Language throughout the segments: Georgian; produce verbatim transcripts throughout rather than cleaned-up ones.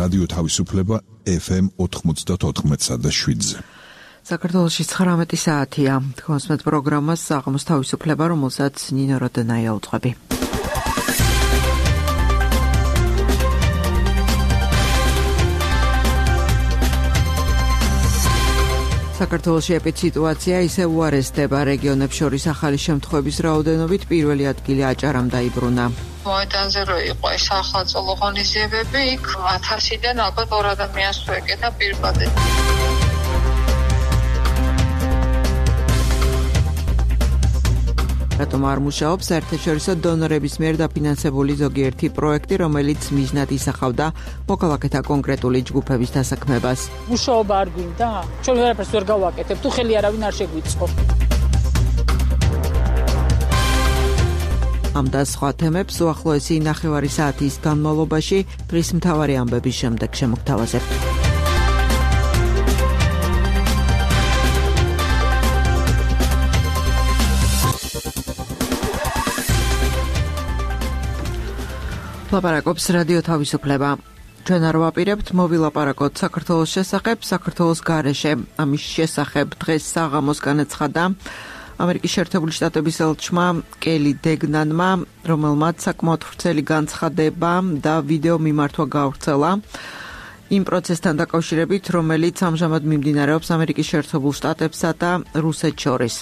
რადიო თავისუფლება ეფ ემ ოთხმოცდაოთხ და შვიდზე. საქართველოში ცხრამეტი საათია. თქოსმეთ პროგრამას საღამოს თავისუფლება, რომელსაც ნინო როდენაია უძღვები. საქართველოში ეპიდსიტუაცია ისევ უარესდება. რეგიონებს შორის ახალი შემთხვევების რაოდენობით პირველი ადგილი აჭარამ დაიბრუნა. მოედანზე რო იყო ეს ახალწლო ღონისძიებები, იქ ათასიდან ალბათ ორ ადამიანს თუ ეკეთა პირბადე. რატომ არ მუშაობს საერთაშორისო დონორების მიერ დაფინანსებული ზოგიერთი პროექტი, რომელიც მიზნად ისახავდა მოქალაქეთა კონკრეტული ჯგუფების დასაქმებას? მუშაობა არ გვინდა? ჩვენ ვერაფერს ვერ გავაკეთებ, თუ ხელი არავინ არ შეგვიწყო. ამ და სხვა თემებს უახლოესი ნახევარი საათის განმავლობაში დღის მთავარი ამბების შემდეგ შემოგთავაზებთ. ლაპარაკობს რადიო თავისუფლება. ჩვენ არ ვაპირებთ მოვილაპარაკოთ საქართველოს შესახებ, საქართველოს გარეშე. ამის შესახებ დღეს საღამოს განაცხადა ამერიკის შეერთებული შტატების ელჩმა კელი დეგნანმა, რომელმაც საკმაოდ ვრცელი განცხადება და ვიდეო მიმართვა გაავრცელა იმ პროცესთან დაკავშირებით, რომელიც ამჟამად მიმდინარეობს ამერიკის შეერთებულ შტატებსა და რუსეთს შორის.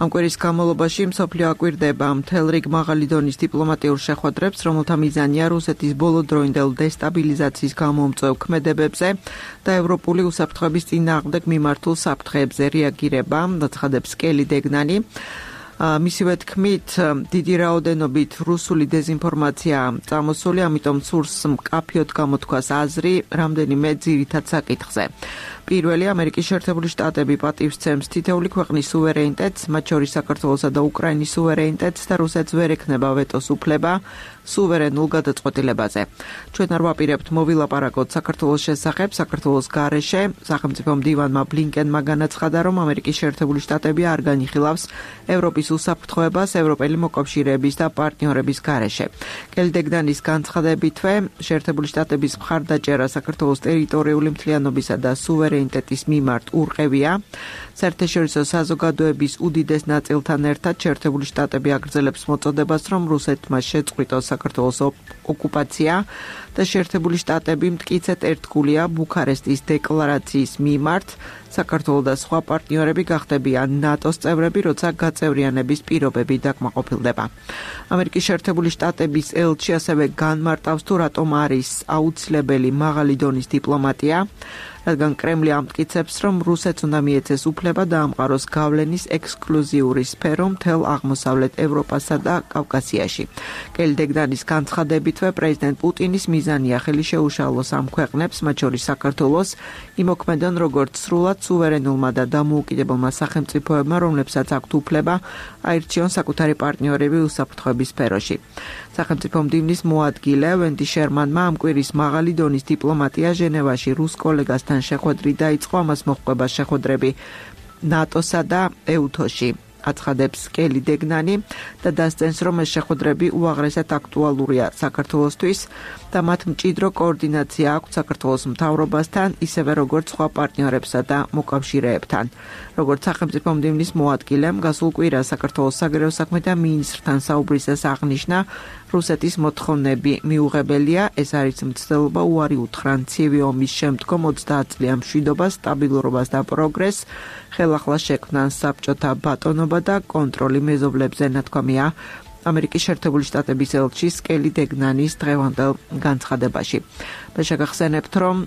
ამ კვირის განმავლობაში მსოფლიო აკვირდება მთელ რიგ მაღალი დონის დიპლომატიურ შეხვედრებს, რომელთა მიზანია რუსეთის ბოლოდროინდელ დესტაბილიზაციის გამომწვევ ქმედებებზე და ევროპული უსაფრთხოების წინააღმდეგ მიმართულ საფრთხეებზე რეაგირება, აცხადებს კელი დეგნანი. მისივე თქმით, დიდი რაოდენობით რუსული დეზინფორმაცია წამოსული, ამიტომ სურს მკაფიოდ გამოთქვას აზრი რამდენიმე ძირითად საკითხზე. პირველი, ამერიკის შეერთებული შტატები პატივს სცემს თითოეული ქვეყნის სუვერენიტეტს, მათ შორის საქართველოსა და უკრაინის სუვერენიტეტს და რუსეთს ვერ ექნება ვეტოს უფლება სუვერენულ გადაწყვეტილებაზე. ჩვენ არ ვაპირებთ მოვილაპარაკოთ საქართველოს შესახებ, საქართველოს გარეშე. სახელმწიფო მდივანმა ბლინკენმა განაცხადა, რომ ამერიკის შეერთებული შტატები არ განიხილავს ევროპის უსაფრთხოებას ევროპელი მოკავშირეების და პარტნიორების გარეშე. კელი დეგნანის განცხადებითვე, შეერთებული შტატების მხარდაჭერა საქართველოს ტერიტორიული მთლიანობისა და სუვერენიტეტის მიმართ ურყევია. საერთაშორისო საზოგადოების უდიდეს ნაწილთან ერთად შეერთებული შტატები აგრძელებს მოწოდებას, რომ რუსეთმა შეწყვიტოს საქართველოს ოკუპაცია და შეერთებული შტატები მტკიცედ ერთგულია ბუქარესტის დეკლარაციის მიმართ. საქართველოს და სხვა პარტნიორები გახდებიან ნატოს წევრები, როცა გაწევრიანების პირობები დაკმაყოფილდება. ამერიკის შეერთებული შტატების ელჩი ასევე განმარტავს, თუ რატომ არის აუცილებელი მაღალი დონის დიპლომატია, რადგან კრემლი ამტკიცებს, რომ რუსეთს უნდა მიეცეს უფლება დაამყაროს გავლენის ექსკლუზიური სფერო მთელ აღმოსავლეთ ევროპასა და კავკასიაში. კელი დეგნანის განცხადებითვე, პრეზიდენტ პუტინის მიზანია ხელი შეუშალოს ამ ქვეყნებს, მათ შორის საქართველოს, იმოქმედონ როგორც სრულად სუვერენულმა და დამოუკიდებელმა სახელმწიფოებმა, რომლებსაც აქვთ უფლება აირჩიონ საკუთარი პარტნიორები უსაფრთხოების სფეროში. სახელმწიფო მდივნის მოადგილე ვენდი შერმანმა ამ კვირის მაღალი დონის დიპლომატია ჟენევაში რუს კოლეგასთან შეხვედრით დაიწყო, ამას მოჰყვება შეხვედრები ნატოსა და ეუთოში. აცხადებს კელი დეგნანი და დასწენს, რომ ეს შეხვედრები უაღრესად აქტუალურია საქართველოსთვის და მათ მჭიდრო კოორდინაცია აქვს საქართველოს მთავრობასთან, ისევე როგორც სხვა პარტნიორებსა და მოკავშირეებთან. როგორც სახელმწიფო მდივნის მოადგილემ გასულ კვირას საქართველოს საგარეო საქმეთა მინისტრთან საუბრისას აღნიშნა, რუსეთის მოთხოვნები მიუღებელია, ეს არის მცდელობა უარი უთხრან ცივი ომის შემდგომ ოცდაათ წლიან მშვიდობას, სტაბილურობას და პროგრესს, ხელახლა შექმნან საბჭოთა ბატონობა და კონტროლი მეზობლებზე, ნათქვამია ამერიკის შეერთებული შტატების ელჩის კელი დეგნანის დღევანდელ განცხადებაში. და შეგახსენებთ, რომ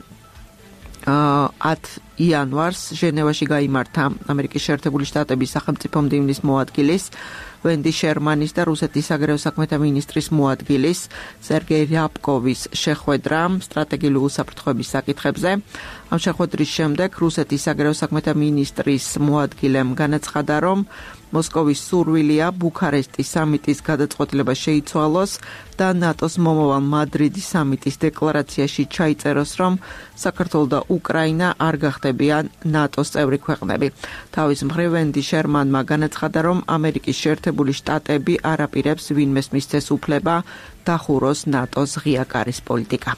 ათ იანვარს ჟენევაში გაიმართა ამერიკის შეერთებული შტატების სახელმწიფო მდივნის მოადგილის ვენდი შერმანის და რუსეთის საგარეო საქმეთა მინისტრის მოადგილის სერგეი რიაბკოვის შეხვედრა სტრატეგიული უსაფრთხოების საკითხებზე. ამ შეხვედრის შემდეგ რუსეთის საგარეო საქმეთა მინისტრის მოადგილემ განაცხადა, რომ მოსკოვის სურვილია ბუქარესტის სამიტის გადაწყვეტილება შეიცვალოს და ნატოს მომავალ მადრიდის სამიტის დეკლარაციაში ჩაიწეროს, რომ საქართველო და უკრაინა არ გახდებიან ნატოს წევრი ქვეყნები. თავის მხრივ ვენდი შერმანმა განაცხადა, რომ ამერიკის შეერთებული შტატები არ აპირებს ვინმეს მისცეს უფლება დახუროს ნატოს ღია კარის პოლიტიკა.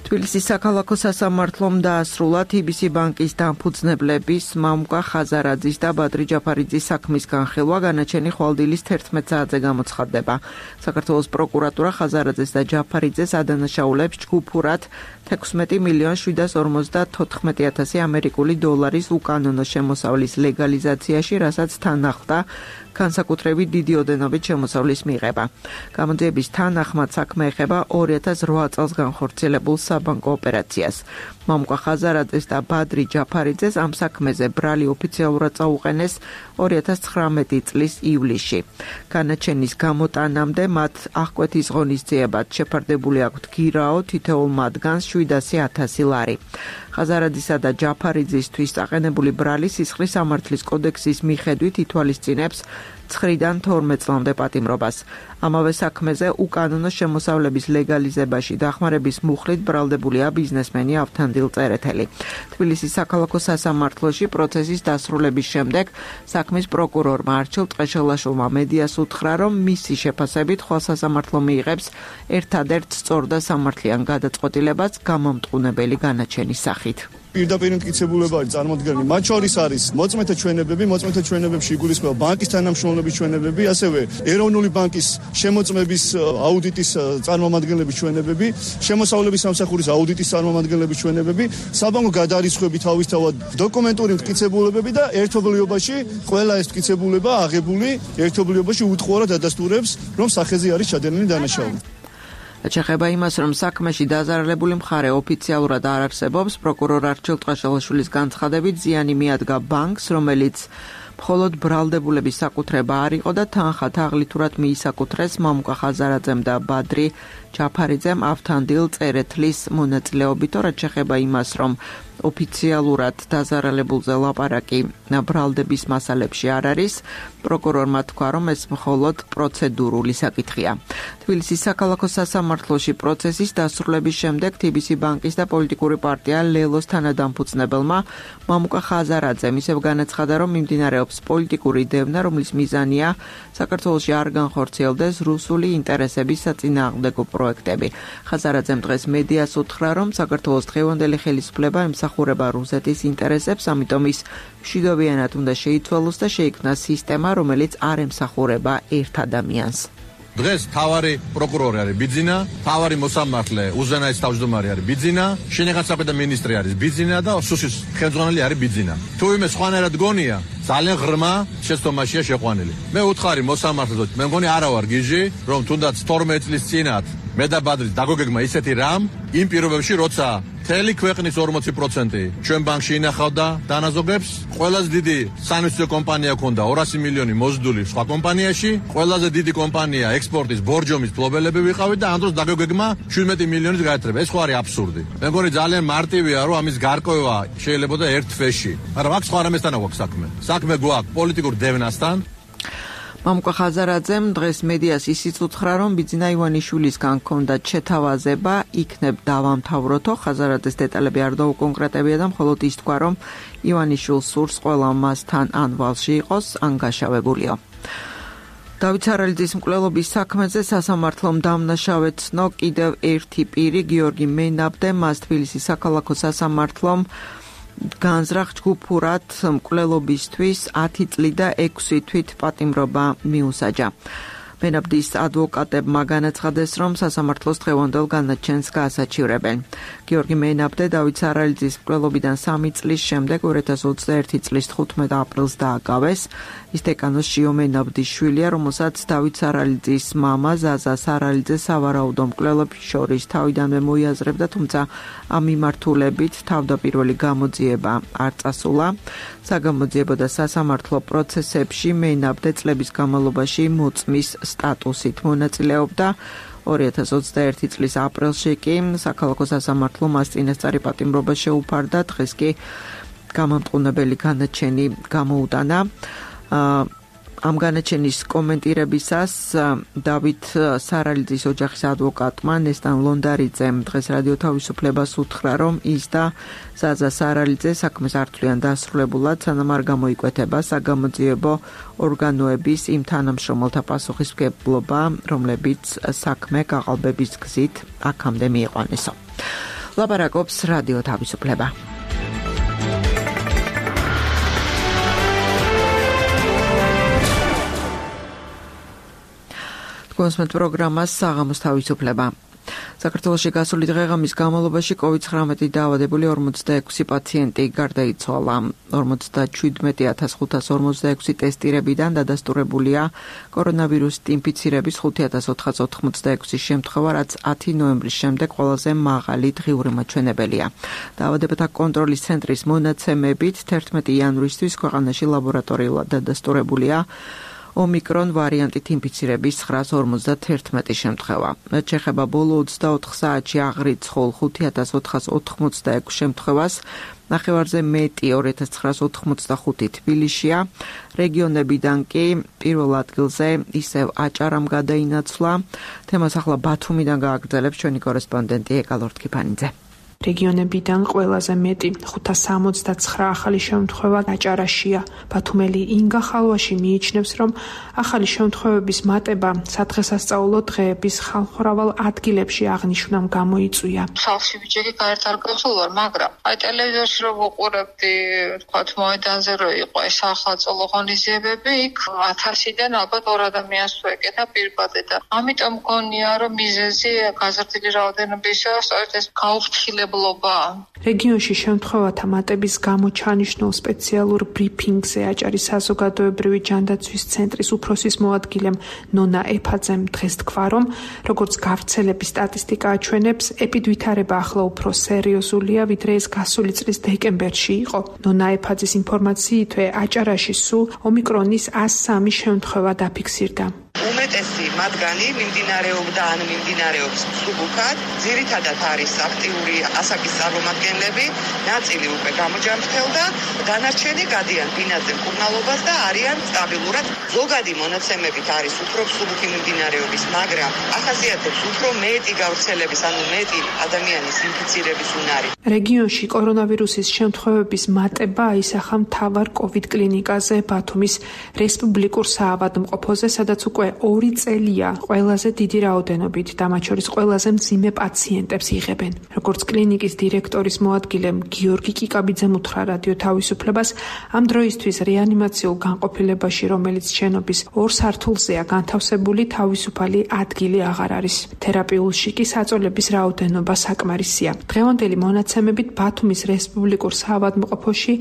თბილისის საქალაქო სასამართლომ დაასრულა თი ბი სი ბანკის დამფუძნებლების მამუკა ხაზარაძის და ბადრი ჯაფარიძის საქმის განხილვა განაჩენი ხვალდილის თერთმეტ საათზე გამოცხადდება. საქართველოს პროკურატურა ხაზარაძეს და ჯაფარიძეს ადანაშაულებს ჯგუფურად თექვსმეტი მილიონი შვიდას ორმოცდათოთხმეტი ათასი ამერიკული დოლარის უკანონო შემოსავლის ლეგალიზაციაში, რასაც თან ახლდა განსაკუთრებით დიდი ოდენობით შემოსავლის მიღება. გამოძიების თანახმად საქმე ეხება ორი ათას რვა წელს განხორციელებულ საბანკო ოპერაციას. მამუკა ხაზარაძეს და ბადრი ჯაფარიძეს ამ საქმეზე ბრალი ოფიციალურად წაუყენეს ორი ათას ცხრამეტი წლის ივლისში. განაჩენის გამოტანამდე მათ აღკვეთის ღონისძიებად შეფარდებული აქვთ გირაო თითოეულ მათგანს შვიდასი ათასი ლარი. ხაზარაძისა და ჯაფარიძისთვის წაყენებული ბრალი სისხლის სამართლის კოდექსის მიხედვით ითვალისწინებს ცხრიდან თორმეტ წლამდე პატიმრობას. ამავე საქმეზე უკანონო შემოსავლების ლეგალიზებაში დახმარების მუხლით ბრალდებულია ბიზნესმენი ავთანდილ წერეთელი. თბილისის საქალაქო სასამართლოში პროცესის დასრულების შემდეგ საქმის პროკურორმა არჩილ ტყეშელაშვილმა მედიას უთხრა, რომ მისი შეფასებით ხვალ სასამართლო მიიღებს ერთადერთ სწორ და სამართლიან გადაწყვეტილებას გამომტყუნებელი განაჩენის სახით. პირდაპირ მტკიცებულება არის წარმოდგენილი. მათ შორის არის მოწმეთა ჩვენებები, მოწმეთა ჩვენებებში იგულისხმება ბანკის თანამშრომლობის ჩვენებები, ასევე ეროვნული ბანკის შემოწმების აუდიტის წარმომადგენლების ჩვენებები, შემოსავლების სამსახურის აუდიტის წარმომადგენლების ჩვენებები, საბანკო გადარიცხვები თავისთავად, დოკუმენტური მტკიცებულებები და ერთობლიობაში ყველა ეს მტკიცებულება აღებული ერთობლიობაში უთხოვარად ადასტურებს, რომ სახეზე არის ჩადენილი დანაშაული. შეეხება იმას, რომ საქმეში დაზარალებული მხარე ოფიციალურად არ არსებობს, პროკურორ არჩილ ტყეშელაშვილის განცხადებით ზიანი მიადგა ბანკს, რომელიც მხოლოდ ბრალდებულების საკუთრება არ იყო და თანხა თაღლითურად მიისაკუთრეს მამუკა ხაზარაძემ და ბადრი ჯაფარიძემ ავთანდილ წერეთლის მონაწილეობით. რაც შეეხება იმას, რომ ოფიციალურად დაზარალებულზე ლაპარაკი ბრალდების მასალებში არ არის, პროკურორმა თქვა, რომ ეს მხოლოდ პროცედურული საკითხია. თბილისის საქალაქო სასამართლოში პროცესის დასრულების შემდეგ თი ბი სი ბანკის და პოლიტიკური პარტია ლელოს თანადამფუძნებელმა მამუკა ხაზარაძემ ისევ განაცხადა, რომ მიმდინარეობს პოლიტიკური დევნა, რომლის მიზანია საქართველოში არ განხორციელდეს რუსული ინტერესების საწინააღმდეგო პროექტები. ხაზარაძემ დღეს მედიას უთხრა, რომ საქართველოს დღევანდელი ხელისუფლება ემსახურება რუსეთის ინტერესებს, ამიტომ ის მშვიდობიანად უნდა შეიცვალოს და შეიქმნას სისტემა, რომელიც არ ემსახურება ერთ ადამიანს. დღეს თავარი პროკურორი არის ბიძინა, თავარი მოსამართლე უზენაეს თავმჯდომარე არის ბიძინა, შინაგან საქმეთა მინისტრი არის ბიძინა და სუსის ხელმძღვანელი არის ბიძინა. თუ იმე სხვანაირად გონია, ძალიან ღრმა შეცდომაშია შეყვანილი. მე უთხარი მოსამართლედ, მე მგონი არა ვარ გიჟი, რომ თუნდაც თორმეტ წლის წინათ მე და ბადრის დაგოგეგმა ისეთი რამ, იმ პირობებში, როცა მთელი ქვეყნის ორმოცი პროცენტი ჩვენ ბანკში ინახავდა დანაზოგებს, ყველაზე დიდი საინვესტიციო კომპანია ქონდა ორასი მილიონი მოზიდული სხვა კომპანიაში, ყველაზე დიდი კომპანია ექსპორტის ბორჯომის ფლობელები ვიყავით და ამ დროს დაგოგეგმა შვიდმეტი მილიონის გაერთრება. ეს ხო არის აბსურდი. მე მგონი ძალიან მარტივია, რომ ამის გარკვევა შეიძლება და ერთ თვეში. მაგრამ აქ სხვა რამესთან აქვს საქმე. საქმე გვაქვს პოლიტიკურ დევნასთან. მამუკა ხაზარაძემ დღეს მედიას ისიც უთხრა, რომ ბიძინა ივანიშვილისგან ჰქონდათ შეთავაზება, იქნებ დავამთავროთო. ხაზარაძეს დეტალები არ დაუკონკრეტებია და მხოლოდ ის თქვა, რომ ივანიშვილს სურს ყველა მასთან ან ვალში იყოს, ან გაშავებულიო. დავით სარალიძის მკვლელობის საქმეზე სასამართლომ დამნაშავეცნო კიდევ ერთი პირი, გიორგი მენაბდე, მას თბილისის საქალაქო სასამართლომ განზრახ ჯგუფურად მკვლელობისთვის ათი წლი და ექვსი თვით პატიმრობა მიუსაჯა. მენაბდის ადვოკატებმა განაცხადეს, რომ სასამართლოს დღევანდელ განაჩენს გაასაჩივრებენ. გიორგი მენაბდე დავით სარალიძის მკვლელობიდან სამი წლის შემდეგ ორი ათას ოცდაერთი წლის თხუთმეტ აპრილს დააკავეს. ის დეკანოს შიო მენაბდის შვილია, რომელსაც დავით სარალიძის მამა ზაზა სარალიძე სავარაუდო მკვლელობის შორის თავიდანვე მოიაზრებდა, თუმცა ამ მიმართულებით თავდაპირველი გამოძიება არ წასულა. საგამოძიებო და სასამართლო პროცესებში მენაბდე წლების განმავლობაში მოწმის სტატუსით მონაწილეობდა. ორი ათას ოცდაერთი წლის აპრილში კი საქალაქო სასამართლო მას წინასწარი პატიმრობა შეუფარდა, დღეს კი გამამტყუნებელი განაჩენი გამოუტანა. ამ განაჩენის კომენტირებისას დავით სარალიძის ოჯახის ადვოკატმა ნესტან ლონდარიძემ დღეს რადიო თავისუფლებას უთხრა, რომ ის და ზაზა სარალიძე საქმეს არ თვლიან დასრულებულად, სანამ არ გამოიკვეთება საგამოძიებო ორგანოების იმ თანამშრომელთა პასუხისმგებლობა, რომლებიც საქმე გაყალბების გზით აქამდე მიიყვანესო. ლაპარაკობს რადიო თავისუფლება. კონსმეთ პროგრამას საღამოს თავისუფლება. საქართველოში გასული დღეღამის განმავლობაში კოვიდ ცხრამეტი დაავადებული ორმოცდაექვსი პაციენტი გარდაიცვალა. ორმოცდაჩვიდმეტი ათას ხუთას ორმოცდაექვსი ტესტირებიდან დადასტურებულია კორონავირუსით ინფიცირების ხუთი ათას ოთხას ოთხმოცდაექვსი შემთხვევა, რაც ათი ნოემბრის შემდეგ ყველაზე მაღალი დღიური მაჩვენებელია. დაავადებათა კონტროლის ცენტრის მონაცემებით თერთმეტი იანვრისთვის ქვეყანაში ლაბორატორიულად დადასტურებულია ომიკრონ ვარიანტით ინფიცირების ცხრაას ორმოცდაათერთმეტი შემთხვევა. რაც შეეხება ბოლო ოცდაოთხ საათში აღრიცხულ ხუთი ათას ოთხას ოთხმოცდაექვსი შემთხვევას, ნახევარზე მეტი ორი ათას ცხრაას ოთხმოცდახუთი თბილისშია. რეგიონებიდან კი პირველ ადგილზე ისევ აჭარამ გადაინაცვლა. თემას ახლა ბათუმიდან გააგრძელებს ჩვენი კორესპონდენტი ეკა ლორთქიფანიძე. რეგიონებიდან ყველაზე მეტი ხუთას სამოცდაცხრა ახალი შემთხვევა აჭარაშია. ბათუმელი ინგა ხალვაში მიიჩნევს, რომ ახალი შემთხვევების მატება სადღესასწაულო დღეების ხალხმრავალ ადგილებში აღნიშვნამ გამოიწვია. სახლში ბიჭები გარეთ არ გავსულვარ, მაგრამ აი ტელევიზორში რომ ვუყურებდი, თქვათ მოედანზე რომ იყო ეს სახელმწიფო ღონისძიებები, იქ ათასიდან ალბათ ორ ადამიანს თუ ეკეთა პირბადე და ამიტომ მგონია, რომ მიზეზი გაზრდილი რაოდენობისა სწორედ ეს გაუფრთხილება რეგიონში შემთხვევათა მატების გამო ჩანიშნულ სპეციალურ ბრიფინგზე აჭარის საზოგადოებრივი ჯანდაცვის ცენტრის უფროსის მოადგილემ ნონა ეფაძემ დღეს თქვა, რომ როგორც გავრცელების სტატისტიკა აჩვენებს, ეპიდვითარება ახლა უფრო სერიოზულია, ვიდრე ეს გასული წლის დეკემბერში იყო. ნონა ეფაძის ინფორმაციითვე აჭარაში სულ ომიკრონის ას სამი შემთხვევა დაფიქსირდა. უმეტესი მათგანი მიმდინარეობდა ან მიმდინარეობს მსუბუქად, ძირითადად არის აქტიური ასაკის წარმომადგენლები, ნაწილი უკვე გამოჯამრთელდა, დანარჩენი გადიან ბინაზე მკურნალობას და არიან სტაბილურად. ზოგადი მონაცემებით არის უფრო მსუბუქი მიმდინარეობის, მაგრამ ახასიათებს უფრო მეტი გავრცელების, ანუ მეტი ადამიანის ინფიცირების უნარი. რეგიონში კორონავირუსის შემთხვევების მატება აისახა მთავარ კოვიდ კლინიკაზე ბათუმის რესპუბლიკურ საავადმყოფოზე, სადაც უკვე ორი წელია ყველაზე დიდი რაოდენობით და მათ შორის ყველაზე მძიმე პაციენტებს იღებენ. როგორც კლინიკის დირექტორის მოადგილემ გიორგი კიკაბიძემ უთხრა რადიო თავისუფლებას, ამ დროისთვის რეანიმაციულ განყოფილებაში, რომელიც შენობის ორ სართულზეა განთავსებული, თავისუფალი ადგილი აღარ არის. თერაპიულში კი საწოლების რაოდენობა საკმარისია. დღევანდელი მონაცემებით ბათუმის რესპუბლიკურ საავადმყოფოში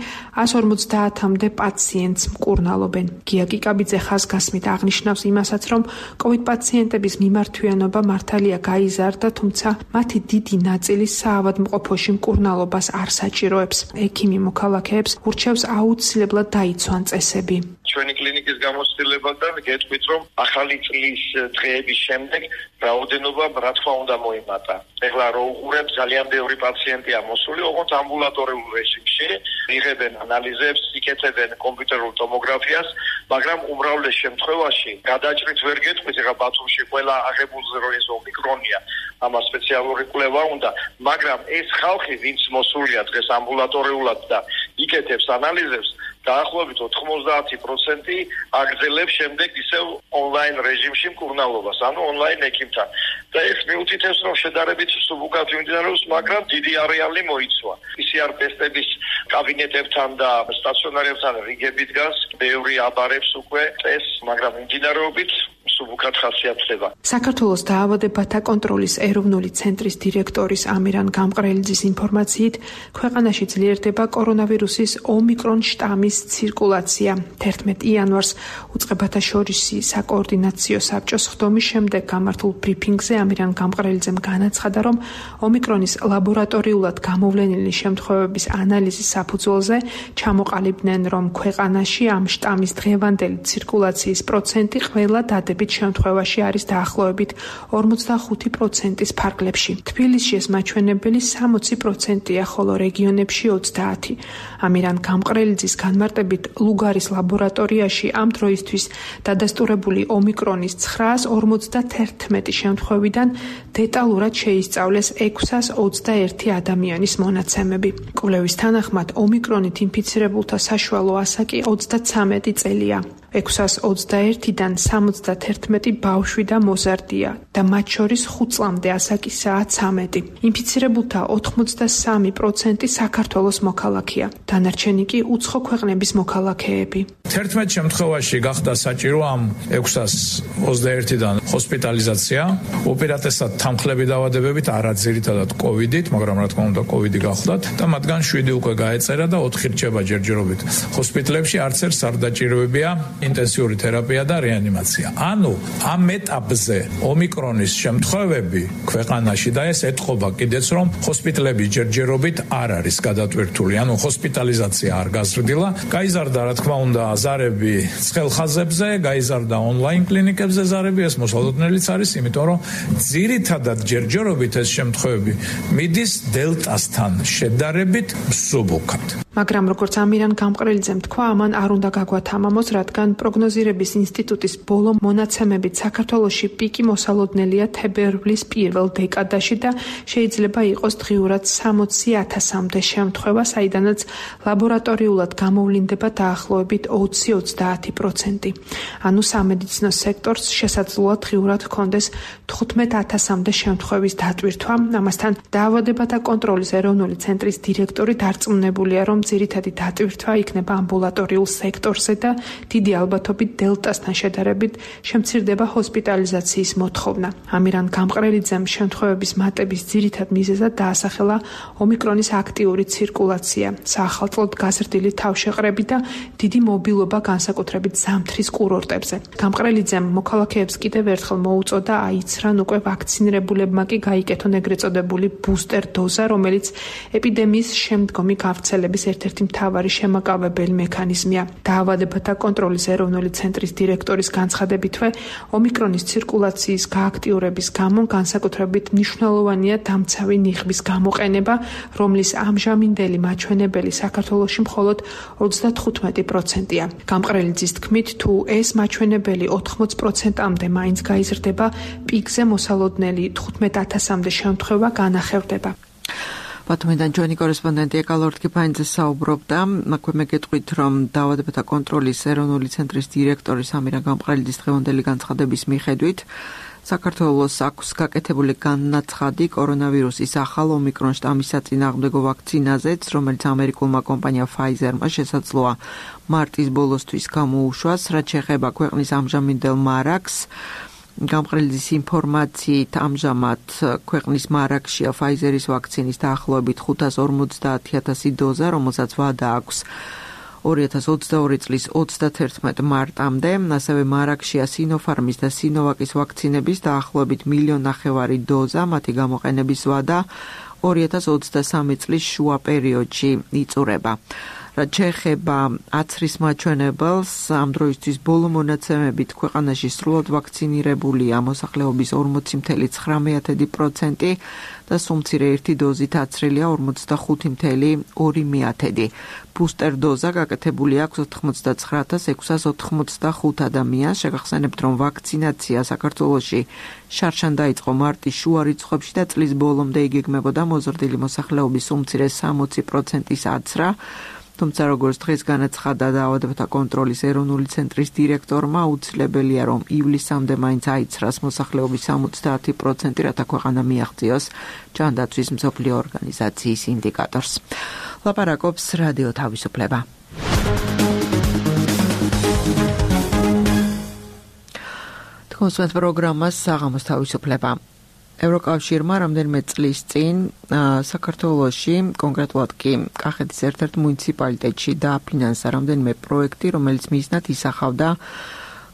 ას ორმოცდაათამდე პაციენტს მკურნალობენ. გია კიკაბიძე ხაზგასმით აღნიშნავს იმასაც, რომ კოვიდ პაციენტების მიმართვიანობა მართალია გაიზარდა, თუმცა მათი დიდი ნაწილი საავადმყოფოში მკურნალობას არ საჭიროებს. ექიმი მოქალაქეებს ურჩევს აუცილებლად დაიცვან წესები. ჩვენი კლინიკის გამოცდილებიდან გეტყვით, რომ ახალი წლის დღეების შემდეგ რაოდენობა რა თქმა უნდა მოიმატა. ეხლა რო უყურებ, ძალიან ბევრი პაციენტია მოსული, ოღონდ ამბულატორიულ რეჟიმში, იღებენ ანალიზებს, იკეთებენ კომპიუტერულ ტომოგრაფიას, მაგრამ უმრავლეს შემთხვევაში გადაჭრით ვერ გეტყვით, ეხლა ბათუმში ყველა აღებულზე რო ეს ომიკრონია, ამას სპეციალური კვლევა უნდა, მაგრამ ეს ხალხი, ვინც მოსულია დღეს ამბულატორიულად და იკეთებს ანალიზებს, დაახლოებით ოთხმოცდაათი პროცენტი აგრძელებს შემდეგ ისევ ონლაინ რეჟიმში მკურნალობას, ანუ ონლაინ ექიმთან. და ეს მიუთითებს, რომ შედარებით მსუბუქად მიმდინარეობს, მაგრამ დიდი არეალი მოიცვა. პი სი არ ტესტების კაბინეტებთან და სტაციონარებთან რიგები დგას, ბევრი აბარებს უკვე წესს, მაგრამ მიმდინარეობით მსუბუქად ხასიათდება. საქართველოს დაავადებათა კონტროლის ეროვნული ცენტრის დირექტორის ამირან გამყრელიძის ინფორმაციით, ქვეყანაში ძლიერდება კორონავირუსის ომიკრონ შტამის ცირკულაცია. თერთმეტი იანვარს უწყებათა შორისი საკოორდინაციო საბჭოს ხდომის შემდეგ გამართულ ბრიფინგზე ამირან გამყრელიძემ განაცხადა, რომ ომიკრონის ლაბორატორიულად გამოვლენილი შემთხვევების ანალიზის საფუძველზე ჩამოყალიბდნენ, რომ ქვეყანაში ამ შტამის დღევანდელი ცირკულაციის პროცენტი ყველა დადებით შემთხვევაში არის დაახლოებით ორმოცდახუთი პროცენტის ფარგლებში. თბილისში ეს მაჩვენებელი სამოცი პროცენტია, ხოლო რეგიონებში ოცდაათი. ამირან გამყრელიძის განმარტებით, ლუგარის ლაბორატორიაში ამ დროისთვის დადასტურებული ომიკრონის ცხრაას ორმოცდათერთმეტი შემთხვევიდან დეტალურად შეისწავლეს ექვსას ოცდაერთი ადამიანის მონაცემები. კვლევის თანახმად, ომიკრონით ინფიცირებულთა საშუალო ასაკი ოცდაცამეტი წელია. ექვსას ოცდაერთიდან სამოცდათერთმეტი ბავშვი და მოზარდია და მათ შორის ხუთ წლამდე ასაკისაა ცამეტი. ინფიცირებულთა ოთხმოცდასამი პროცენტი საქართველოს მოქალაქეა. დანარჩენი კი უცხო ქვეყნების მოქალაქეები. თერთმეტ შემთხვევაში გახდა საჭირო ამ ექვსას ოცდაერთიდან ჰოსპიტალიზაცია, უპირატესად თანხლები დაავადებებით, არა ძირითადად კოვიდით, მაგრამ რა თქმა უნდა კოვიდი გახლდათ და მათგან შვიდი უკვე გაეწერა და ოთხი რჩება ჯერჯერობით. ჰოსპიტალებში არც ერთ არ დაჭიროებია ინტენსიური თერაპია და რეანიმაცია. ანუ ამ ეტაპზე ომიკრონის შემთხვევები ქვეყანაში და ეს ეთყობა კიდეც რომ ჰოსპიტალები ჯერჯერობით არ არის გადატვირთული, ანუ ჰოსპიტალიზაცია არ გაზრდილა. გაიზარდა რა თქმა უნდა ზარები ცხელ ხაზებზე, გაიზარდა ონლაინ კლინიკებზე ზარები, ეს მოსალოდნელიც არის, იმიტომ რომ ძირითადად ჯერჯერობით ეს შემთხვევები მიდის დელტასთან შედარებით მსუბუქად. მაგრამ როგორც ამირან გამყრელიძემ თქვა, ამან არ უნდა გაგვათამამოს, რადგან პროგნოზირების ინსტიტუტის ბოლო მონაცემებით საქართველოში პიკი მოსალოდნელია თებერვლის პირველ დეკადაში და შეიძლება იყოს დღიურად სამოცი ათასამდე შემთხვევა, საიდანაც ლაბორატორიულად გამოვლინდება დაახლოებით ოცი ოცდაათი პროცენტი. ანუ სამედიცინო სექტორს შესაძლოა დღიურად ჰქონდეს თხუთმეტ ათასამდე შემთხვევის დატვირთვა. ამასთან დაავადებათა კონტროლის ეროვნული ცენტრის დირექტორი დარწმუნებულია, რომ ძირითადი დატვირთვა იქნება ამბულატორიულ სექტორზე და დიდი ალბათობით დელტასთან შედარებით შემცირდება ჰოსპიტალიზაციის მოთხოვნა. ამირან გამყრელიძემ შემთხვევების მატების ძირითად მიზეზად დაასახელა ომიკრონის აქტიური ცირკულაცია, საახალწლოდ გაზრდილი თავშეყრები და დიდი მობილობა განსაკუთრებით ზამთრის კურორტებზე. გამყრელიძემ მოქალაქეებს კიდევ ერთხელ მოუწოდა აიცრან უკვე ვაქცინირებულებმა კი გაიკეთონ ეგრეთ წოდებული ბუსტერ დოზა, რომელიც ეპიდემიის შემდგომი გავრცელების ერთ-ერთი მთავარი შემაკავებელი მექანიზმია. დაავადებათა კონტროლის ეროვნული ცენტრის დირექტორის განცხადებითვე, ომიკრონის ცირკულაციის გააქტიურების გამო განსაკუთრებით მნიშვნელოვანია დამცავი ნიღბის გამოყენება, რომლის ამჟამინდელი მაჩვენებელი საქართველოში მხოლოდ ოცდათხუთმეტი პროცენტია. გამყრელიძის თქმით, თუ ეს მაჩვენებელი ოთხმოც პროცენტამდე მაინც გაიზრდება, პიკზე მოსალოდნელი თხუთმეტ ათასამდე შემთხვევა განახევდება. ბათუმიდან ჩვენი კორესპონდენტი ეკალორდ კიფაინძე საუბრობდა, აქვე მეგეთყვით, რომ დაავადებათა კონტროლის ეროვნული ცენტრის დირექტორის ამირან გამყრელიძის დღევანდელი განცხადების მიხედვით საქართველოს აქვს გაკეთებული განაცხადი კორონავირუსის ახალ ომიკრონ შტამის საწინააღმდეგო ვაქცინაზეც, რომელიც ამერიკულმა კომპანია Pfizer-მა შესაძლოა მარტის ბოლოსთვის გამოუშვას, რაც შეეხება ქვეყნის ამჟამინდელ მარაგს. გამყრელიძის ინფორმაციით ამჟამად ქვეყნის მარაგშია Pfizer-ის ვაქცინის დაახლოებით ხუთას ორმოცდაათი ათასი დოზა, რომელსაც ვადა აქვს ორი ათას ოცდაორი წლის ოცდათერთმეტ მარტამდე, ასევე მარაგშია Sinopharm-ის და Sinovac-ის ვაქცინების დაახლოებით მილიონ ნახევარი დოზა, მათი გამოყენების ვადა ორი ათას ოცდასამი წლის შუა პერიოდში იწურება. რაც შეეხება აცრის მაჩვენებელს, ამ დროისთვის ბოლო მონაცემებით ქვეყანაში სრულად ვაქცინირებულია მოსახლეობის ორმოცი წამსული ცხრამეტი პროცენტი და სულ მცირე ერთი დოზით აცრილია ორმოცდახუთი წამსული ორი მეათედი. ბუსტერ დოზა გაკეთებული აქვს ოთხმოცდაცხრა ათას ექვსას ოთხმოცდახუთ ადამიანს. შეგახსენებთ, რომ ვაქცინაცია საქართველოში შარშან დაიწყო მარტის შუა რიცხვებში და წლის ბოლომდე იგეგმებოდა მოზრდილი მოსახლეობის სულ მცირე სამოცი პროცენტის აცრა. თუმცა როგორც დღეს განაცხადა დაავადებათა კონტროლის ეროვნული ცენტრის დირექტორმა, აუცილებელია რომ ივლისამდე მაინც აიცრას მოსახლეობის სამოცდაათი პროცენტი, რათა ქვეყანა მიაღწიოს ჯანდაცვის მსოფლიო ორგანიზაციის ინდიკატორს. ლაპარაკობს რადიო თავისუფლება. თქვენს პროგრამას საღამოს თავისუფლება. ევროკავშირმა რამდენიმე წლის წინ საქართველოში, კონკრეტულად კი კახეთის ერთ-ერთ მუნიციპალიტეტში დააფინანსა რამდენიმე პროექტი, რომელიც მიზნად ისახავდა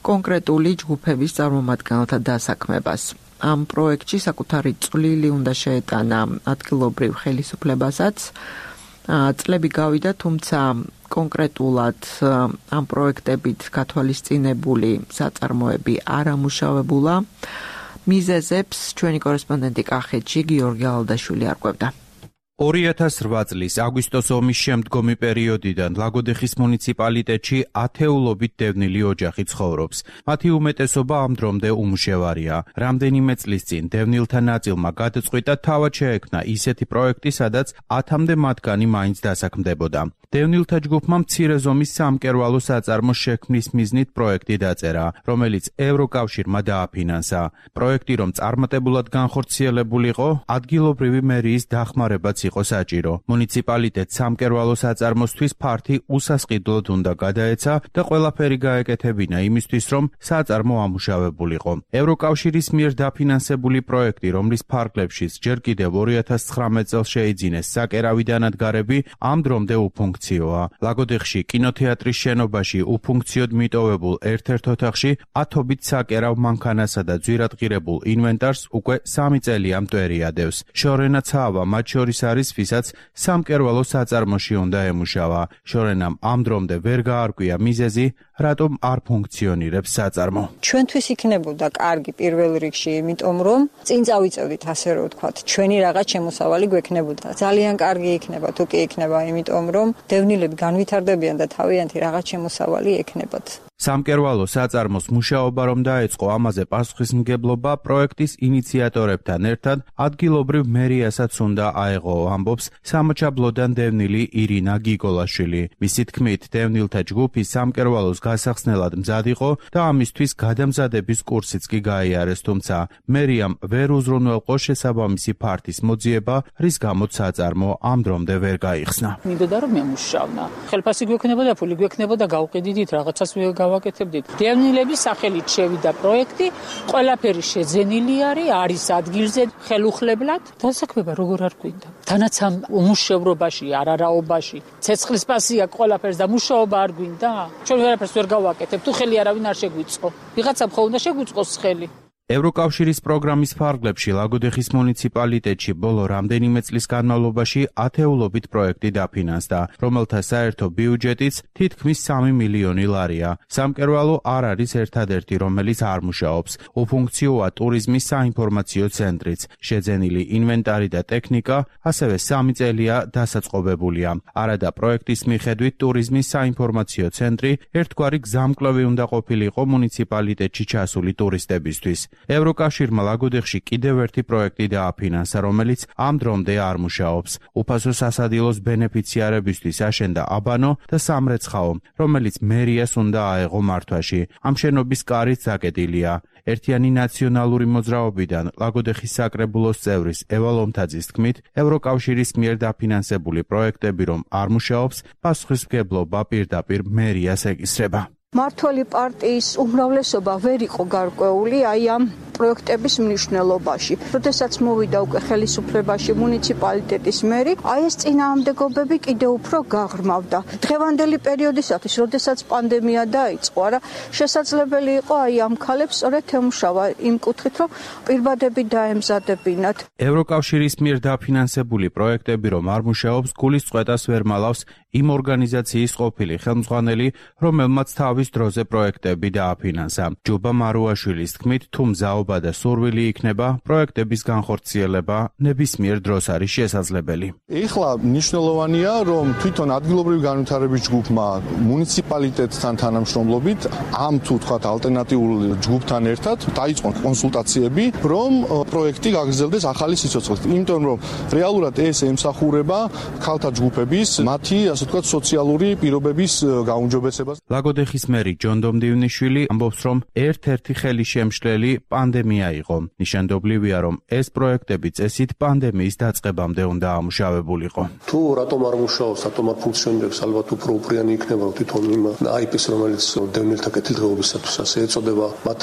კონკრეტული ჯგუფების წარმომადგენელთა დასაქმებას. ამ პროექტში საკუთარი წვლილი უნდა შეეტანა ადგილობრივ ხელისუფლებასაც. წლები გავიდა, თუმცა კონკრეტულად ამ პროექტებით გათვალისწინებული საწარმოები არ ამუშავებულა. მიზეზებს ჩვენი კორესპონდენტი კახეთში გიორგი ალდაშვილი არკვევდა. ორი ათას რვა წლის აგვისტოს ომის შემდგომი პერიოდიდან ლაგოდეხის მუნიციპალიტეტში ათეულობით დევნილი ოჯახი ცხოვრობს. მათი უმეტესობა ამ დრომდე უმუშევარია. რამდენიმე წლის წინ დევნილთა ნაწილმა გადაწყვიტა თავად შეექმნა ისეთი პროექტი, სადაც ათამდე მათგანი მაინც დასაქმდებოდა. დევნილთა ჯგუფმა მცირე ზომის სამკერვალო საწარმოს შექმნის მიზნით პროექტი დაწერა, რომელიც ევროკავშირმა დააფინანსა. პროექტი რომ წარმატებულად განხორციელებულიყო, ადგილობრივი მერიის დახმარებაც იყო საჭირო. მუნიციპალიტეტს სამკერვალო საწარმოსთვის ფართი უსასყიდლოდ უნდა გადაეცა და ყველაფერი გაეკეთებინა იმისთვის, რომ საწარმო ამუშავებულიყო. ევროკავშირის მიერ დაფინანსებული პროექტი, რომლის ფარგლებშიც ჯერ კიდევ ორი ათას ცხრამეტ წელს შეიძინეს საკერავი დანადგარები, ამ დრომდე უფუნქციოა. ლაგოდეხში კინოთეატრის შენობაში უფუნქციოდ მიტოვებულ ერთ-ერთ ოთახში ათობით საკერავ მანქანასა და ძვირადღირებულ ინვენტარს უკვე სამი წელია მტვერი ადევს. შორენა ცავა მათ შორის არის, ვისაც სამკერვალო საწარმოში უნდა ემუშავა. შორენამ ამ დრომდე ვერ გაარკვია მიზეზი, რატომ არ ფუნქციონირებს საწარმო. ჩვენთვის იქნებოდა კარგი პირველ რიგში, იმიტომ რომ წინ წავიწევდით, ასე რომ ვთქვათ, ჩვენი რაღაც შემოსავალი გვექნებოდა. ძალიან კარგი იქნება, თუ კი იქნება, იმიტომ რომ დევნილები განვითარდებიან და თავიანთი რაღაც შემოსავალი ექნებათ. სამკერვალო საწარმოს მუშაობა რომ დაეწყო, ამაზე პასუხისმგებლობა პროექტის ინიციატორებთან ერთად ადგილობრივ მერიასაც უნდა აეღო, ამბობს სამაჩაბლოდან დევნილი ირინა გიგოლაშვილი. მისი თქმით, დევნილთა ჯგუფი სამკერვალოს გასახსნელად მზად იყო და ამისთვის გადამზადების კურსიც კი გაიარეს, თუმცა მერიამ ვერ უზრუნველყო შესაბამისი ფართის მოძიება, რის გამოც საწარმო ამ დრომდე ვერ გაიხსნა. მინდოდა რომ მემუშავნა. ხელფასი გვექნებოდა, ფული გვექნებოდა, გავყიდით რაღაცას გავაკეთებდით. დევნილების სახელით შევიდა პროექტი, ყველაფერი შეძენილი არის, არის ადგილზე ხელუხლებლად. დასაქმება როგორ არ გვინდა. თანაც ამ უმუშევრობაში, არარაობაში, ცეცხლის პასი აქვს ყველაფერს და მუშაობა არ გვინდა? ჩვენ ვერაფერს ვერ გავაკეთებ, თუ ხელი არავინ არ შეგვიწყო. ვიღაცამ ხო უნდა შეგვიწყოს ხელი. ევროკავშირის პროგრამის ფარგლებში ლაგოდეხის მუნიციპალიტეტში ბოლო რამდენიმე წლის განმავლობაში ათეულობით პროექტი დაფინანსდა, რომელთა საერთო ბიუჯეტიც თითქმის სამი მილიონი ლარია. სამკერვალო არ არის ერთადერთი, რომელიც არ მუშაობს. უფუნქციოა ტურიზმის საინფორმაციო ცენტრიც. შეძენილი ინვენტარი და ტექნიკა ასევე სამი წელია დასაწყობებულია. არადა პროექტის მიხედვით ტურიზმის საინფორმაციო ცენტრი ერთგვარი გზამკვლევი უნდა ყოფილიყო მუნიციპალიტეტში ჩასული ტურისტებისთვის. ევროკავშირმა ლაგოდეხში კიდევ ერთი პროექტი დააფინანსა, რომელიც ამ დრომდე არ მუშაობს. უფასო სასადილოს ბენეფიციარებისთვის აშენდა აბანო და სამრეცხაო, რომელიც მერიას უნდა აეღო მართვაში. ამ შენობის კარიც დაკეტილია. ერთიანი ნაციონალური მოძრაობიდან ლაგოდეხის საკრებულოს წევრის ევა ლომთაძის თქმით, ევროკავშირის მიერ დაფინანსებული პროექტები რომ არ მუშაობს, პასუხისმგებლობა პირდაპირ მერიას ეკისრება. მართველი პარტიის უმრავლესობა ვერ იყო გარკვეული აი ამ პროექტების მნიშვნელობაში. როდესაც მოვიდა უკვე ხელისუფლებაში მუნიციპალიტეტის მერი, აი ეს წინააღმდეგობები კიდევ უფრო გაღრმავდა. დღევანდელი პერიოდისათვის, როდესაც პანდემია დაიწყო, არა, შესაძლებელი იყო აი ამ ქალებს სწორედ ემუშავა იმ კუთხით, რომ პირბადები დაემზადებინათ. ევროკავშირის მიერ დაფინანსებული პროექტები რომ არ მუშაობს, გულისწყეტას ვერ მალავს იმ ორგანიზაციის ყოფილი ხელმძღვანელი, რომელმაც თავის დროზე პროექტები დააფინანსა. ჯუბა მარუაშვილის თქმით, თუ მზაობა და სურვილი იქნება, პროექტების განხორციელება ნებისმიერ დროს არის შესაძლებელი. ეხლა მნიშვნელოვანია, რომ თვითონ ადგილობრივი განვითარების ჯგუფმა მუნიციპალიტეტთან თანამშრომლობით ამ თუ თქვათ ალტერნატიულ ჯგუფთან ერთად დაიწყონ კონსულტაციები, რომ პროექტი გაგრძელდეს ახალი სიცოცხლით. იმიტომ რომ რეალურად ეს ემსახურება ქალთა ჯგუფების მათი ასე ვთქვათ სოციალური პირობების გაუმჯობესებას. ლაგოდეხის მერი ჯონ დომდივნიშვილი ამბობს, რომ ერთ-ერთი ხელისშემშლელი პანდემია იყო. ნიშანდობლივია, რომ ეს პროექტები წესით პანდემიის დაწყებამდე უნდა ამუშავებულიყო. თუ რატომ არ მუშაობს, რატომ არ ფუნქციონირებს, ალბათ უფრო უპრიანი იქნება თვითონ იმ აი პი-ს, რომელიც დევნილთა კეთილდღეობისათვის ასე ეწოდება, მათ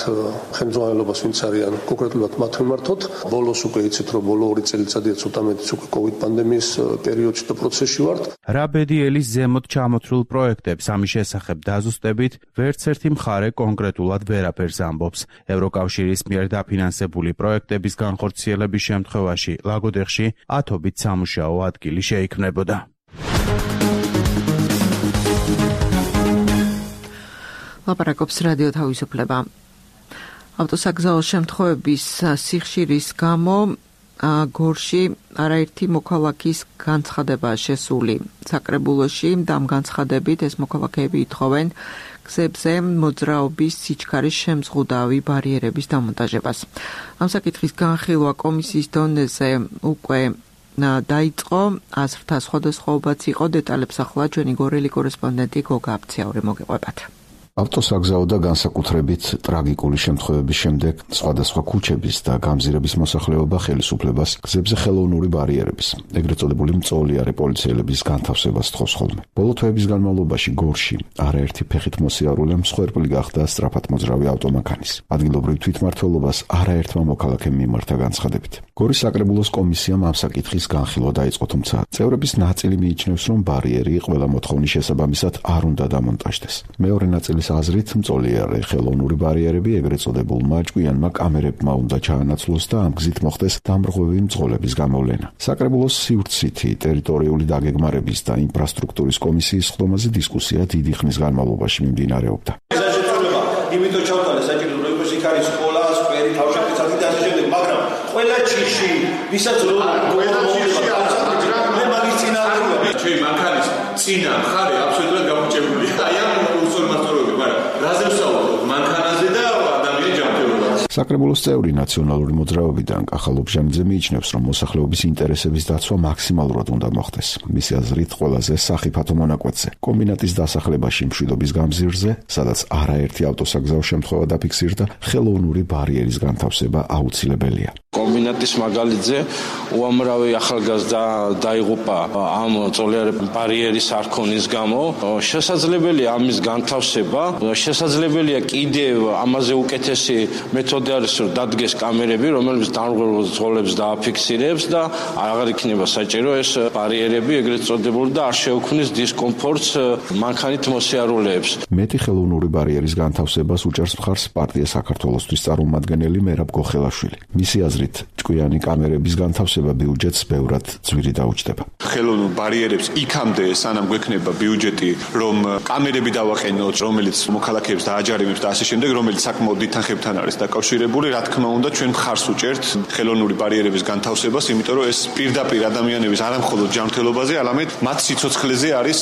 ხელმძღვანელობას ვინც არიან კონკრეტულად მათ მიმართოთ. ბოლოს უკვე იცით, რომ ბოლო ორი წელიწადია ცოტა მეტიც უკვე კოვიდ პანდემიის პერიოდში და პროცესში ვართ. რა ბედიელის ზემოთ ჩამოთვლილ პროექტებს ამის შესახებ დაზუსტებით ვერც ერთი მხარე კონკრეტულად ვერაფერს ამბობს. ევროკავშირის მიერ დაფინანსებული პროექტების განხორციელების შემთხვევაში ლაგოდეხში ათობით სამუშაო ადგილი შეიქმნებოდა. ლაპარაკობს რადიო თავისუფლება. ავტოსაგზაო შემთხვევების სიხშირის გამო გორში არაერთი მოქალაქის განცხადებაა შესული საკრებულოში და ამ განცხადებით ეს მოქალაქეები ითხოვენ გზებზე მოძრაობის სიჩქარის შემზღუდავი ბარიერების დამონტაჟებას. ამ საკითხის განხილვა კომისიის დონეზე უკვე დაიწყო, აზრთა სხვადასხვაობაც იყო, დეტალებს ახლა ჩვენი გორელი კორესპონდენტი გოგა აფციაური მოგეყვებათ. ავტოსაგზაო და განსაკუთრებით ტრაგიკული შემთხვევების შემდეგ სხვადასხვა ქუჩების და გამზირების მოსახლეობა ხელისუფლებას გზებზე ხელოვნური ბარიერების, ეგრეთ წოდებული მწოლიარე პოლიციელების განთავსებას თხოვს ხოლმე. ბოლო თვეების განმავლობაში გორში არაერთი ფეხით მოსიარულე მსხვერპლი გახდა სწრაფად მოძრავი ავტომანქანის. ადგილობრივ თვითმმართველობას არაერთმა მოქალაქემ მიმართა განცხადებით. გორის საკრებულოს კომისიამ ამ საკითხის განხილვა დაიწყო, თუმცა წევრების ნაწილი მიიჩნევს, რომ ბარიერი ყველა მოთხოვნის შესაბამისად არ უნდა დამონტაჟდეს. მეორე ნაწილი აზრით მწოლიარე ხელოვნური ბარიერები ეგრეთ წოდებულმა ჭკვიანმა კამერებმა უნდა ჩაანაცვლოს და ამ გზით მოხდეს დამრღვევი მძღოლების გამოვლენა. საკრებულოს სივრცითი ტერიტორიული დაგეგმარების და ინფრასტრუქტურის კომისიის ხდომაზე დისკუსია დიდი ხნის განმავლობაში მიმდინარეობდა. იმიტომ ჩავთვალე საჭირო რომ იყოს იქ არის სკოლა, სკვერი, თავშეფიცადი და ასე შემდეგ, მაგრამ ყველა ჩიხში, ვისაც რო ყველა ჩიხში მე მაგის წინა აღარ ჩემი მანქანის წინა მხარე აბსოლუტურად გამორჩეულია. აი ამ უსწორმასწორობები, მაგრამ რაზე ვსაუბრობ? მანქანაზე და ადამიანის ჯანმრთელობაზე. საკრებულოს წევრი ნაციონალური მოძრაობიდან კახა ლობჟანიძე მიიჩნევს, რომ მოსახლეობის ინტერესების დაცვა მაქსიმალურად უნდა მოხდეს. მისი აზრით, ყველაზე სახიფათო მონაკვეთზე, კომბინატის დასახლებაში მშვიდობის გამზირზე, სადაც არაერთი ავტოსაგზაო შემთხვევა დაფიქსირდა, ხელოვნური ბარიერის განთავსება აუცილებელია. კომბინატის მაგალითზე უამრავი ახალგაზრდა დაიღუპა ამ წოლიარე ბარიერის არქონის გამო. შესაძლებელია ამის განთავსება, შესაძლებელია კიდევ ამაზე უკეთესი მეთოდი არის, რომ დადგეს კამერები, რომელიც დამრღვევ მძღოლებს დააფიქსირებს და აღარ იქნება საჭირო ეს ბარიერები ეგრეთ წოდებული და არ შეუქმნის დისკომფორტს მანქანით მოსიარულეებს. მეტი ხელოვნური ბარიერის განთავსებას უჭერს მხარს პარტია საქართველოსთვის წარმომადგენელი მერაბ გოხელაშვილი. მისი აზრით, ჭკვიანი კამერების განთავსება ბიუჯეტს ბევრად ძვირი დაუჯდება. ხელოვნურ ბარიერებს იქამდე სანამ გვექნება ბიუჯეტი, რომ კამერები დავაყენოთ, რომელიც მოქალაქეებს დააჯარიმებს და ასე შემდეგ, რომელიც საკმაოდ დიდ თანხებთან არის დაკავშირებული, რა თქმა უნდა, ჩვენ მხარს უჭერთ ხელოვნური ბარიერების განთავსებას, იმიტომ რომ ეს პირდაპირ ადამიანების არამხოლოდ ჯანმრთელობაზე, არამედ მათ სიცოცხლეზე არის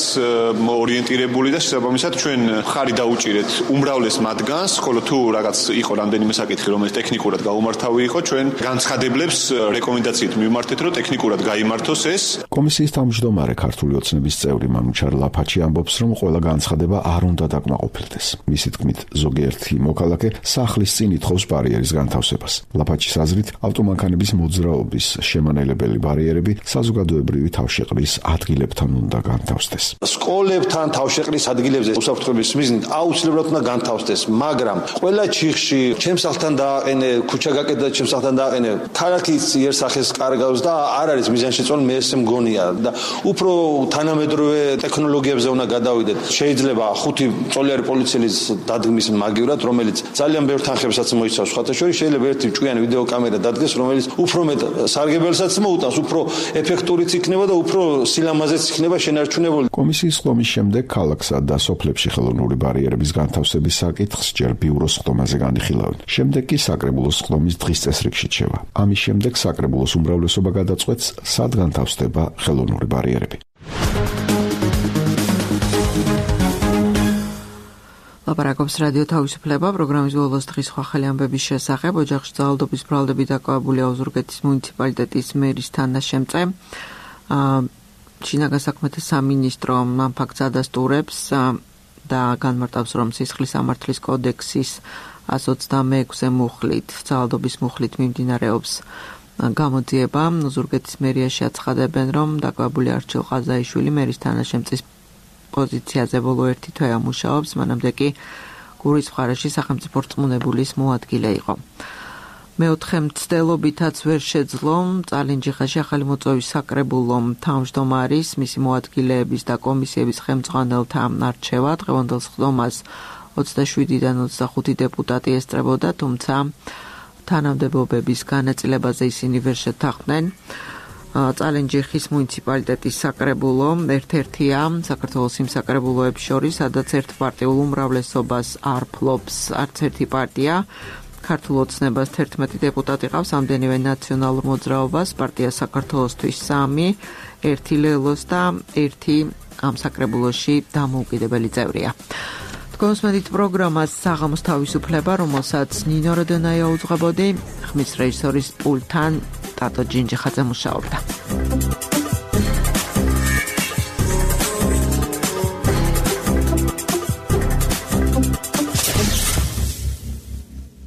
ორიენტირებული და შესაბამისად ჩვენ მხარი დაუჭირეთ უმრავლეს მათგანს, ხოლო თუ რაღაც იყო რამდენიმე საკითხი, რომელიც ტექნიკურად გაუმართავი იყო, ჩვენ განცხადებლებს რეკომენდაციით მივმართეთ, რომ ტექნიკურად გაიმართოს ეს. კომისიის თავმჯდომარე ქართული ოცნების წევრი მანუჩარ ლაფაჩი ამბობს, რომ ყველა განცხადება არ უნდა დაკმაყოფილდეს. მისი თქმით, ზოგიერთი მოქალაქე სახლის წინ ითხოვს ბარიერის განთავსებას. ლაფაჩის აზრით, ავტომანქანების მოძრაობის შემანელებელი ბარიერები საზოგადოებრივი თავშეყრის ადგილებთან უნდა განთავსდეს. სკოლებთან თავშეყრის ადგილებზე უსაფრთხოების მიზნით აუცილებლად უნდა განთავსდეს, მაგრამ ყველა ჩიხში ჩემს სახლთან დააყენე, ქუჩა გაკეთდა ჩემს სახლთან დააყენე, ქალაქის იერსახეს კარგავს და არ არის მიზანშეწონილი, მე ესე მგონია და უფრო თანამედროვე ტექნოლოგიებზე უნდა გადავიდეთ. შეიძლება ხუთი წოლიარი პოლიციელის დადგმის მაგივრად, რომელიც ძალიან ბევრ თანხებსაც მოიცავს. სხვათა შორის შეიძლება ერთი ჭკვიანი ვიდეო კამერა დადგეს, რომელიც უფრო მეტ სარგებელსაც მოუტანს, უფრო ეფექტურიც იქნება და უფრო სილამაზეც იქნება შენარჩუნებული. კომისიის ხდომის შემდეგ ქალაქსა და სოფლებში ხელოვნური ბარიერების განთავსების საკითხს ჯერ ბიუროს ხდომაზე განიხილავენ. შემდეგ კი საკრებულოს ხდომის დღის წესრიგში რჩება. ამის შემდეგ საკრებულოს უმრავლესობა გადაწყვეტს, სად განთავსდება ხელოვნური ბარიერები. ლაპარაკობს რადიო თავისუფლება, პროგრამის ბოლოს დღის სხვა ხელი ამბების შესახებ. ოჯახში ძალადობის ბრალდებით დაკავებულია ოზურგეთის მუნიციპალიტეტის მერის თანაშემწე. შინაგან საქმეთა სამინისტრო ამ ფაქტს ადასტურებს და განმარტავს, რომ სისხლის სამართლის კოდექსის εκατს ოცდამეექვსე მუხლით, ძალადობის მუხლით მიმდინარეობს გამოძიება. ოზურგეთის მერიაში აცხადებენ, რომ დაკავებული არჩილ ყაზაიშვილი მერის თანაშემწის პოზიციაზე ბოლო ერთი თვე ამუშაობს, მანამდე კი გურის მხარეში სახელმწიფო რწმუნებულის მოადგილე იყო. მეოთხე მცდელობითაც ვერ შეძლო წალენჯიხაში ახალი მოწვევის საკრებულო თავმჯდომარის, მისი მოადგილეების და კომისიების ხელმძღვანელთა არჩევა. დღევანდელ ხდომას ოცდაშვიდიდან ოცდახუთი დეპუტატი ესწრებოდა, თუმცა თანამდებობების განაწილებაზე ისინი ვერ შეთანხმდნენ. წალენჯიხის მუნიციპალიტეტის საკრებულო ერთ-ერთია საქართველოს იმ საკრებულოებს შორის, სადაც ერთპარტიულ უმრავლესობას არ ფლობს არც ერთი პარტია ქართულ ოცნებას თერთმეტი დეპუტატი ყავს, ამდენივე ნაციონალურ მოძრაობას, პარტია საქართველოსთვის სამი, ერთი ლელოს და ერთი ამ საკრებულოში დამოუკიდებელი წევრია. კონსმედით პროგრამას საღამოს თავისუფლება, რომელსაც ნინო როდონაია უძღვებოდი, ხმის რეჟისორის პულტთან ტატო ჯინჯიხაძე მუშაობდა.